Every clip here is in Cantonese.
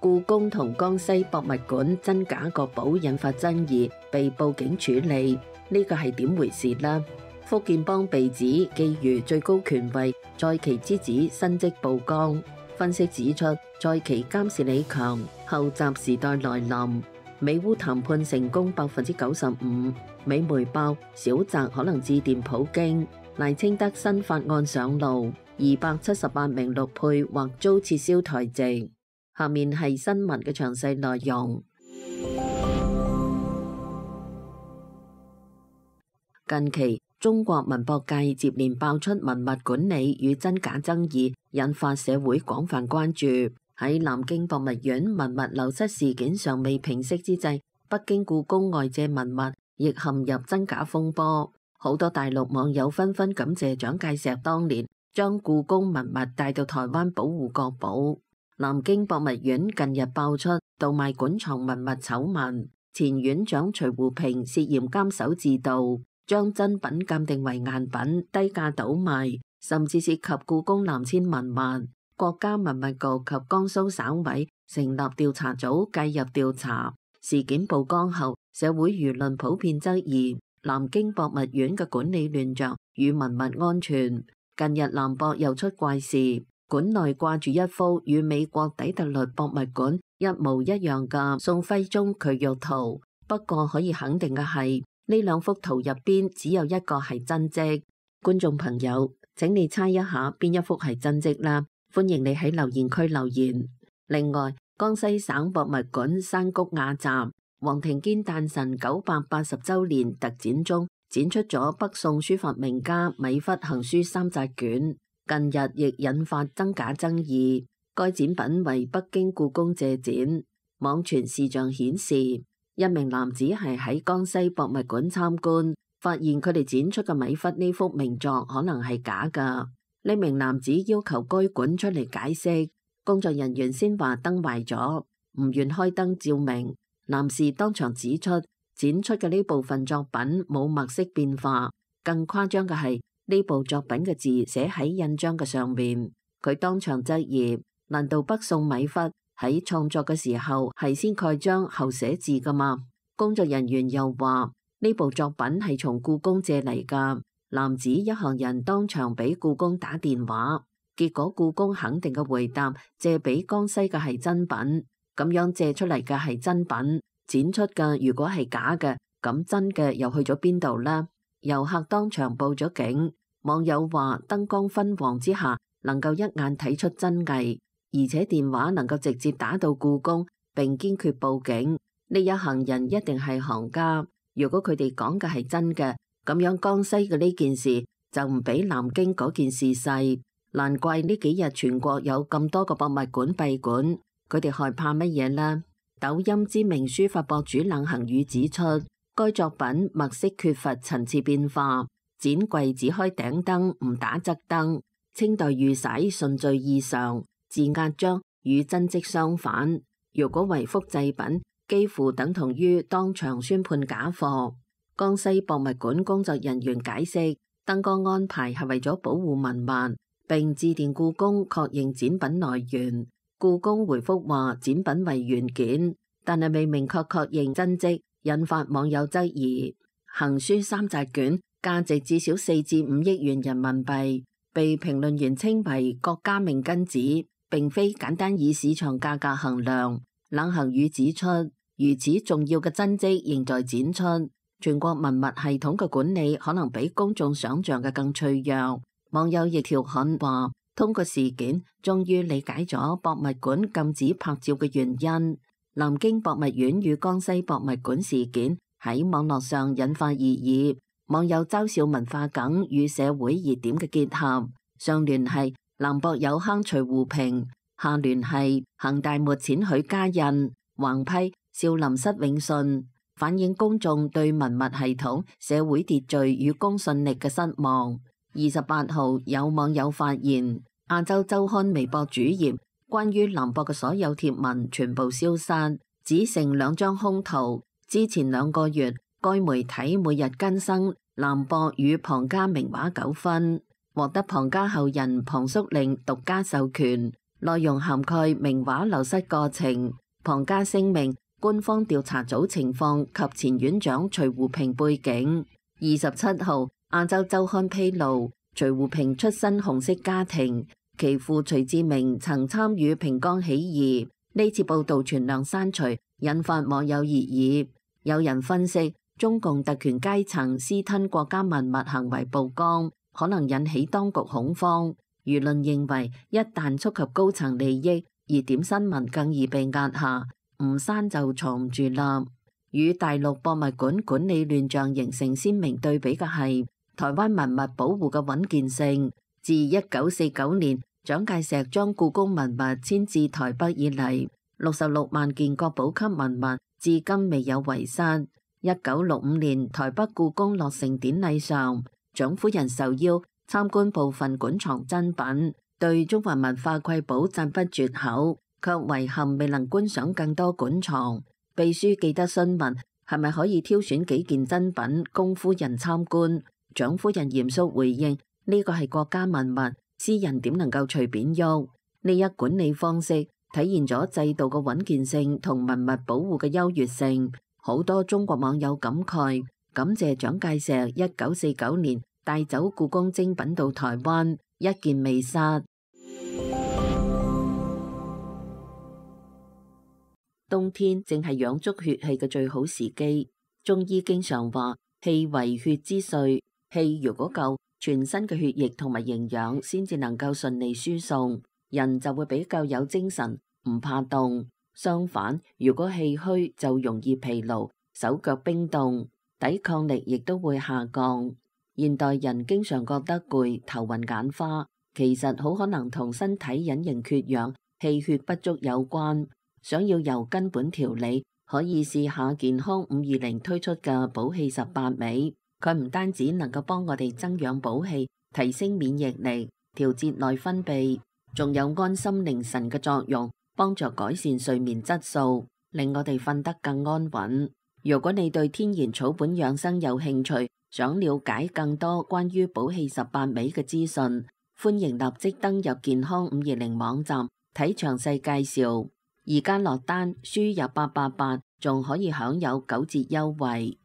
故宮同江西博物館真假國寶引發爭議，被報警處理，呢個係點回事呢？福建幫被指覬覦最高權位在其之子申職曝光，分析指出，在其監視李強，後習時代來臨，美烏談判成功95%，美媒爆小澤可能致電普京，賴清德新法案上路，278名陸配或遭撤銷台籍。下面係新聞嘅詳細內容。近期中國文博界接連爆出文物管理與真假爭議，引發社會廣泛關注。喺南京博物院文物流失事件尚未平息之際，北京故宮外借文物亦陷入真假風波。好多大陸網友紛紛感謝蔣介石當年將故宮文物帶到台灣保護國寶。南京博物院近日爆出盜賣館藏文物醜聞，前院長徐湖平涉嫌監守自盜，將真品鑑定為贋品，低價倒賣，甚至涉及故宮南遷文物。國家文物局及江蘇省委成立調查組介入調查。事件曝光後，社會輿論普遍質疑南京博物院嘅管理亂象與文物安全。近日南博又出怪事，館內掛住一幅與美國底特律博物館一模一樣嘅宋徽宗衢玉圖，不過可以肯定嘅係，呢兩幅圖入邊只有一個係真跡。觀眾朋友，請你猜一下邊一幅係真跡啦！歡迎你喺留言區留言。另外，江西省博物館山谷雅集黃庭堅誕辰980週年特展中展出咗北宋書法名家米芾行書3紮卷，近日亦引發真假爭議。該展品為北京故宮借展，網傳視像顯示，一名男子係喺江西博物館參觀，發現佢哋展出嘅米芾呢幅名作可能係假㗎。呢名男子要求該館出嚟解釋，工作人員先話燈壞咗，唔願開燈照明。男士當場指出，展出嘅呢部分作品冇墨色變化，更誇張嘅係呢部作品嘅字寫喺印章嘅上面。佢當場質疑，難道北宋米芾喺創作嘅時候係先蓋章後寫字㗎嘛？工作人員又話呢部作品係從故宮借嚟㗎。男子一行人當場俾故宮打電話，結果故宮肯定嘅回答，借俾江西嘅係真品，咁樣借出嚟嘅係真品，展出嘅如果係假嘅，咁真嘅又去咗邊度呢？遊客當場報咗警，網友話燈光昏黃之下能夠一眼睇出真偽，而且電話能夠直接打到故宮，並堅決報警。呢一行人一定係行家，如果佢哋講嘅係真嘅，咁樣江西嘅呢件事就唔比南京嗰件事細，難怪呢幾日全國有咁多個博物館閉館，佢哋害怕乜嘢呢？抖音知名書法博主冷行宇指出，該作品墨色缺乏層次變化，展櫃只開頂燈唔打側燈，清代御璽順序異常，字壓章與真跡相反，如果為複製品，幾乎等同於當場宣判假貨。江西博物館工作人員解釋，燈光安排係為咗保護文物，並致電故宮確認展品來源。故宮回覆話展品為原件，但係未明確確認真跡，引發網友質疑。行書3紮卷價值至少4至5億元人民幣，被評論員稱為國家命根子，並非簡單以市場價格衡量。冷行宇指出，如此重要嘅真跡仍在展出，全國文物系統嘅管理可能比公眾想象嘅更脆弱。網友亦調侃話，通過事件終於理解咗博物館禁止拍照嘅原因。南京博物院與江西博物館事件喺網絡上引發熱議，網友嘲笑文化梗與社會熱點嘅結合，上聯係南博有坑徐湖平，下聯係恒大沒錢許家印，橫批少林失永信，反映公眾對文物系統、社會秩序與公信力嘅失望。28號有網友發現，亞洲週刊微博主頁關於南博嘅所有貼文全部消失，只剩2張空圖。之前2個月，該媒體每日更新南博與龐家名畫糾紛，獲得龐家後人龐叔令獨家授權。內容涵蓋名畫流失過程、龐家聲明、官方調查組情況及前院長徐湖平背景。27號，亞洲週刊披露，徐湖平出身紅色家庭，其父徐志明曾參與平江起義。呢次報導全量刪除，引發網友熱議。有人分析，中共特權階層私吞國家文物行為曝光，可能引起當局恐慌。輿論認為，一旦觸及高層利益，熱點新聞更易被壓下，唔刪就藏唔住啦。與大陸博物館管理亂象形成鮮明對比嘅係，台灣文物保護嘅穩健性。自1949年蔣介石將故宮文物遷至台北以嚟，66萬件國寶級文物至今未有遺失。1965年台北故宮落成典禮上，蔣夫人受邀參觀部分館藏珍品，對中華文化瑰寶讚不絕口，卻遺憾未能觀賞更多館藏。秘書記得詢問係咪可以挑選幾件珍品供夫人參觀，蔣夫人嚴肅回應：呢個係國家文物，私人點能夠隨便喐？呢一管理方式體現咗制度嘅穩健性同文物保護嘅優越性。好多中國網友感慨，感謝蔣介石1949年帶走故宮精品到台灣，一件未失。冬天正係養足血氣嘅最好時機。中醫經常話，氣為血之髓，氣如果夠，全身嘅血液同埋營養先至能夠順利輸送，人就會比較有精神，唔怕凍。相反，如果氣虛就容易疲勞，手腳冰凍，抵抗力亦都會下降。現代人經常覺得攰、頭暈眼花，其實好可能同身體隱形缺氧、氣血不足有關。想要由根本調理，可以試下健康520推出嘅補氣18味。佢唔單止能夠幫我哋增氧補氣、提升免疫力、調節內分泌，仲有安心寧神嘅作用，幫助改善睡眠質素，令我哋瞓得更安穩。如果你對天然草本養生有興趣，想了解更多關於補氣18味嘅資訊，歡迎立即登入健康520網站睇詳細介紹。而家落單輸入888，仲可以享有9折優惠。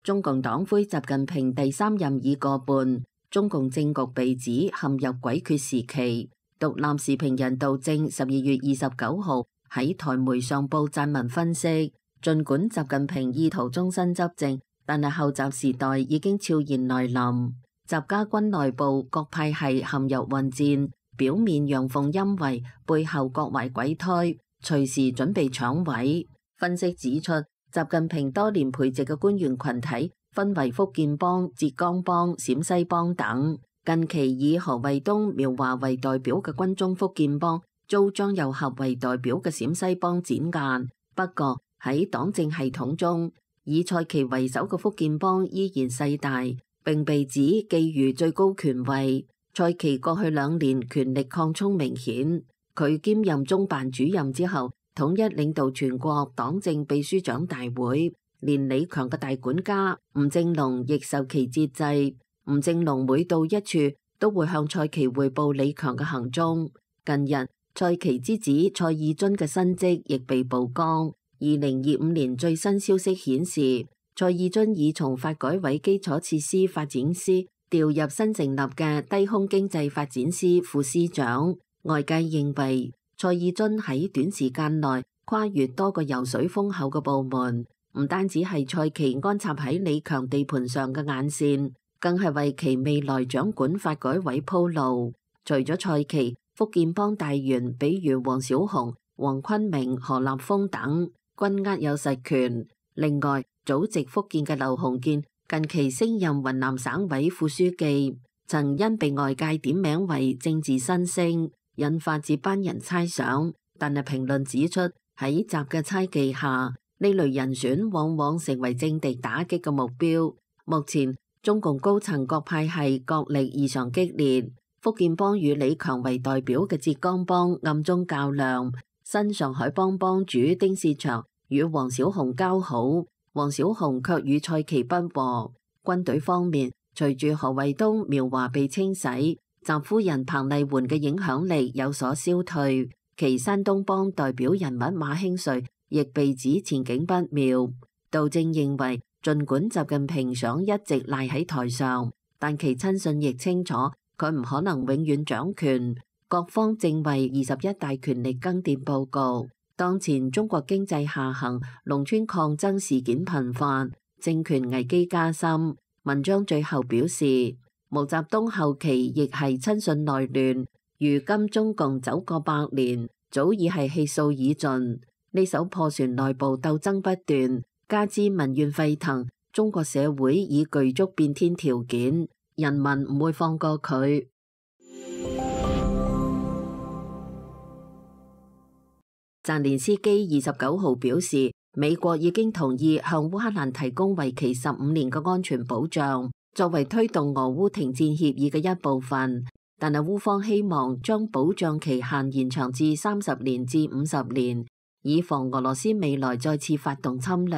中共黨魁習近平第3任已過半，中共政局被指陷入詭譎時期。獨立時評人杜正12月29號喺台媒上報撰文分析，儘管習近平意圖終身執政，但係後習時代已經悄然來臨。習家軍內部各派系陷入混戰，表面陽奉陰違，背後各懷鬼胎，隨時準備搶位。分析指出，習近平多年培植嘅官員群體分為福建幫、浙江幫、陝西幫等。近期以何衛東、苗華為代表嘅軍中福建幫遭張又俠為代表嘅陝西幫剪間。不過喺黨政系統中，以蔡奇為首嘅福建幫依然勢大，並被指覬覦最高權位。蔡奇過去2年權力擴充明顯，佢兼任中辦主任之後，統一領導全國黨政秘書長大會，連李強嘅大管家吳政隆亦受其節制。吳政隆每到一處都會向蔡奇匯報李強嘅行蹤。近日，蔡奇之子蔡義津嘅新職亦被曝光。2025年最新消息顯示，蔡義津已從發改委基礎設施發展司調入新成立嘅低空經濟發展司副司長。外界認為，蔡義津喺短時間內跨越多個油水豐厚嘅部門，唔單止係蔡奇安插喺李強地盤上嘅眼線，更係為其未來掌管發改委鋪路。除咗蔡奇，福建幫大員比如黃小紅、黃坤明、何立峰等，均握有實權。另外，祖籍福建嘅劉鴻健近期升任雲南省委副書記，曾因被外界點名為政治新星，引發接班人猜想。但係評論指出，喺習嘅猜忌下，呢類人選往往成為政敵打擊嘅目標。目前，中共高層各派系角力異常激烈，福建幫與李強為代表嘅浙江幫暗中較量，新上海幫幫主丁薛祥與黃小紅交好，黃小紅卻與蔡奇不和。軍隊方面，隨住何衛東苗華被清洗，習夫人彭麗媛嘅影響力有所消退，其山東幫代表人物馬興瑞亦被指前景不妙。杜正認為，儘管習近平想一直賴喺台上，但其親信亦清楚佢唔可能永遠掌權。各方正為21大權力更迭佈局。當前中國經濟下行，農村抗爭事件頻發，政權危機加深。文章最後表示，毛澤東後期亦係親信內亂，如今中共走過100年，早已係氣數已盡。呢艘破船內部鬥爭不斷，加之民怨沸騰，中國社會已具足變天條件，人民唔會放過佢。澤連斯基29號表示，美國已經同意向烏克蘭提供為期15年嘅安全保障，作為推動俄烏停戰協議嘅一部分。但係烏方希望將保障期限延長至30年至50年，以防俄羅斯未來再次發動侵略。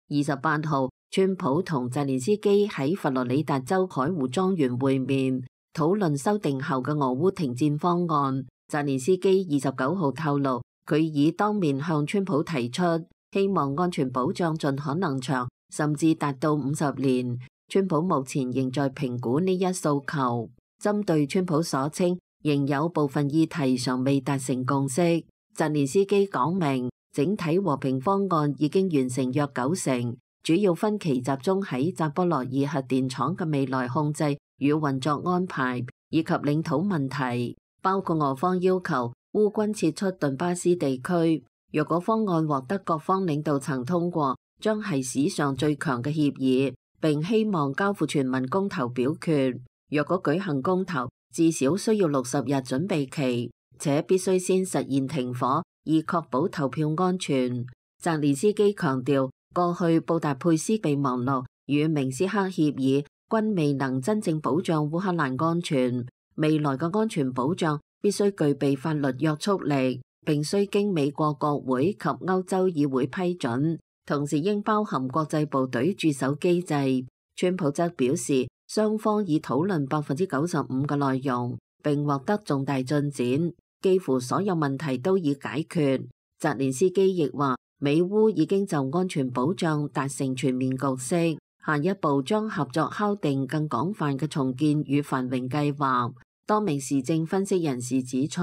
28號，川普同澤連斯基喺佛羅里達州海湖莊園會面，討論修訂後嘅俄烏停戰方案。澤連斯基29號透露，佢已當面向川普提出，希望安全保障盡可能長，甚至達到50年。川普目前仍在評估呢一訴求。針對川普所稱仍有部分議題尚未達成共識，澤連斯基講明，整體和平方案已經完成約90%，主要分歧集中喺扎波羅熱核電廠嘅未來控制與運作安排，以及領土問題，包括俄方要求烏軍撤出頓巴斯地區。若果方案獲得各方領導層通過，將係史上最強嘅協議，並希望交付全民公投表決。若果舉行公投，至少需要60日準備期，且必須先實現停火，以確保投票安全。澤連斯基強調，過去布達佩斯備忘錄與明斯克協議均未能真正保障烏克蘭安全，未來嘅安全保障必須具備法律約束力，並須經美國國會及歐洲議會批准，同時應包含國際部隊駐守機制。川普則表示，雙方已討論95%嘅內容，並獲得重大進展，幾乎所有問題都已解決。澤連斯基亦話，美烏已經就安全保障達成全面共識，下一步將合作敲定更廣泛嘅重建與繁榮計劃。多名時政分析人士指出，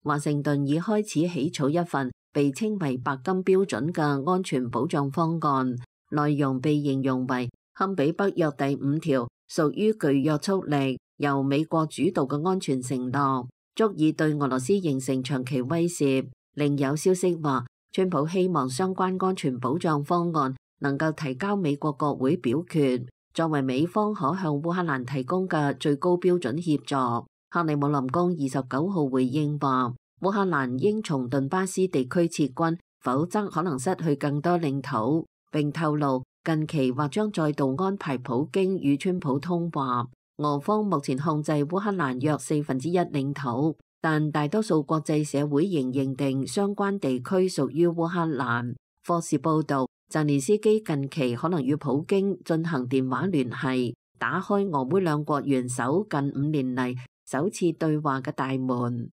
華盛頓已開始起草一份被稱為白金標準嘅安全保障方案，內容被形容為堪比北約第5條，屬於具約束力、由美國主導嘅安全承諾，足以對俄羅斯形成長期威懾。另有消息話，川普希望相關安全保障方案能夠提交美國國會表決，作為美方可向烏克蘭提供嘅最高標準協助。克里姆林宮29號回應話，烏克蘭應從頓巴斯地區撤軍，否則可能失去更多領土。並透露近期或將再度安排普京與川普通話。俄方目前控制烏克蘭約1/4領土，但大多數國際社會仍認定相關地區屬於烏克蘭。霍士報道，澤連斯基近期可能與普京進行電話聯繫，打開俄烏兩國元首近5年嚟首次對話嘅大門。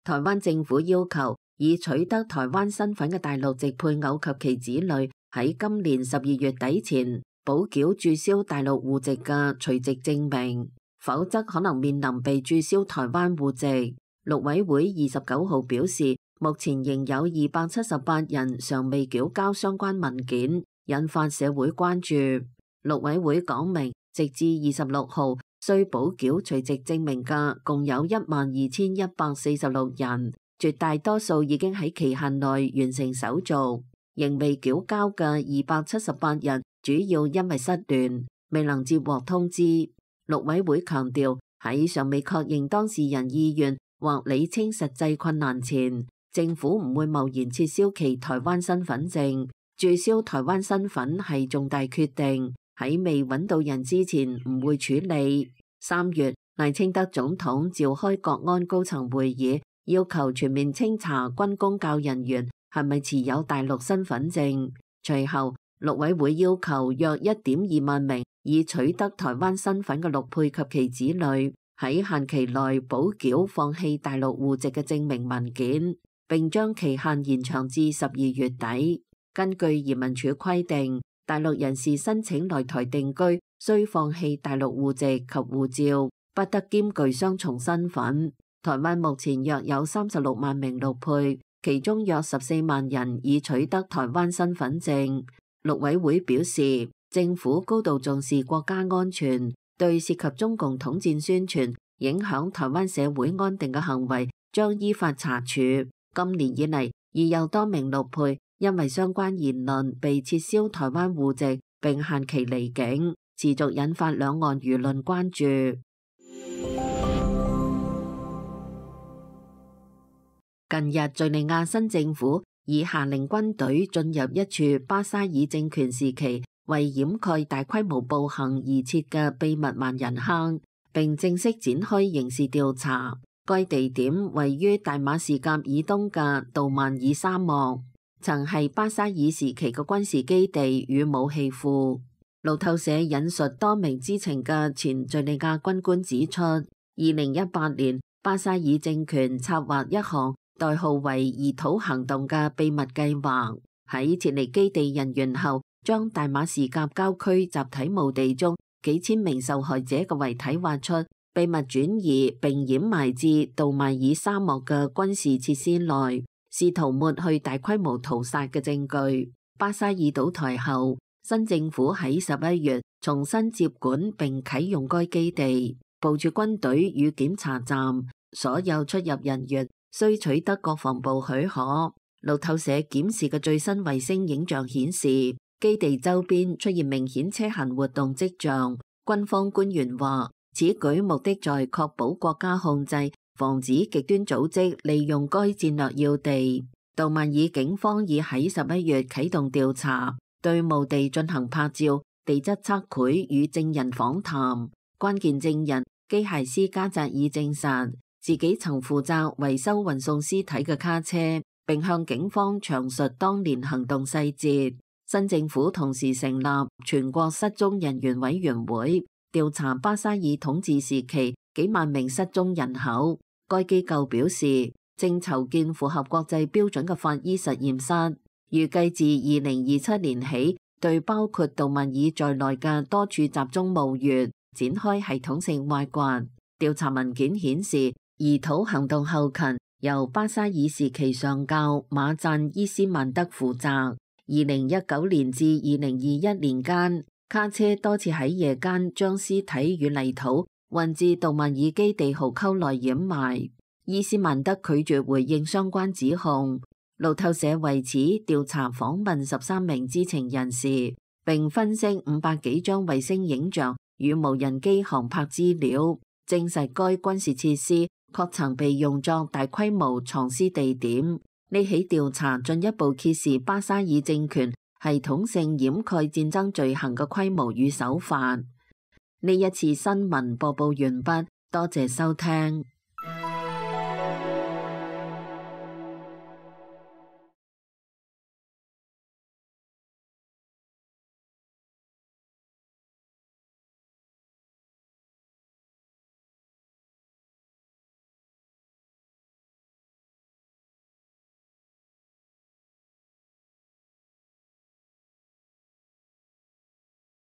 台灣政府要求已取得台灣身份嘅大陸籍配偶及其子女喺今年12月底前補繳註銷大陸戶籍嘅隨籍證明，否則可能面臨被註銷台灣戶籍。陸委會29號表示，目前仍有278人尚未繳交相關文件，引發社會關注。陸委會講明，直至26號需補繳隨籍證明嘅共有12146人，絕大多數已經喺期限內完成手續，仍未繳交嘅278人主要因為失聯，未能接獲通知。陸委會強調，喺尚未確認當事人意願或理清實際困難前，政府唔會貿然撤銷其台灣身份證。註銷台灣身份係重大決定，喺未揾到人之前唔會處理。3月，賴清德總統召開國安高層會議，要求全面清查軍公教人員係咪持有大陸身份證。隨後，陸委會要求約1.2萬名已取得台灣身份嘅陸配及其子女喺限期內補繳放棄大陸戶籍嘅證明文件，並將期限延長至12月底。根據移民署規定，大陸人士申請來台定居，需放棄大陸戶籍及護照，不得兼具雙重身份。台灣目前約有36萬名陸配，其中約14萬人已取得台灣身份證。陸委會表示，政府高度重視國家安全，對涉及中共統戰宣傳、影響台灣社會安定嘅行為將依法查處。今年以嚟，已有多名陸配因為相關言論被撤銷台灣戶籍並限期離境，持續引發兩岸輿論關注。近日，敘利亞新政府已下令軍隊進入一處巴沙爾政權時期為掩蓋大規模暴行而設嘅秘密萬人坑，並正式展開刑事調查。該地點位於大馬士革以東嘅杜曼爾沙漠，曾係巴沙爾時期嘅軍事基地與武器庫。路透社引述多名知情嘅前敘利亞軍官指出，2018年巴沙爾政權策劃一項代號為移土行動嘅秘密計劃，喺撤離基地人員後，將大馬士革郊區集體墓地中幾千名受害者嘅遺體挖出，秘密轉移並掩埋至杜邁爾沙漠嘅軍事設施內，試圖抹去大規模屠殺嘅證據。巴沙爾倒台後，新政府喺11月重新接管並啟用該基地，部署軍隊與檢查站，所有出入人員需取得國防部許可。路透社檢視嘅最新衛星影像顯示，基地周邊出現明顯車行活動跡象。軍方官員話，此舉目的在確保國家控制，防止極端組織利用該戰略要地。杜曼爾警方已喺11月啟動調查，對墓地進行拍照、地質測繪與證人訪談。關鍵證人基械師加扎爾證實，自己曾負責維修運送屍體嘅卡車，並向警方詳述當年行動細節。新政府同時成立全國失蹤人員委員會，調查巴沙爾統治時期幾萬名失蹤人口。該機構表示，正籌建符合國際標準嘅法醫實驗室，預計自2027年起，對包括杜曼爾在內嘅多處集中墓穴展開系統性挖掘。調查文件顯示，移土行動後勤由巴沙爾時期上校馬贊伊斯曼德負責。2019年至2021年間，卡車多次喺夜間將屍體與泥土運至杜曼爾基地壕溝內掩埋。伊斯曼德拒絕回應相關指控。路透社為此調查訪問13名知情人士，並分析500幾張衛星影像與無人機航拍資料，證實該軍事設施確曾被用作大規模藏屍地點。呢起調查進一步揭示巴沙爾政權系統性掩蓋戰爭罪行嘅規模與手法。呢一次新聞播報完畢，多謝收聽。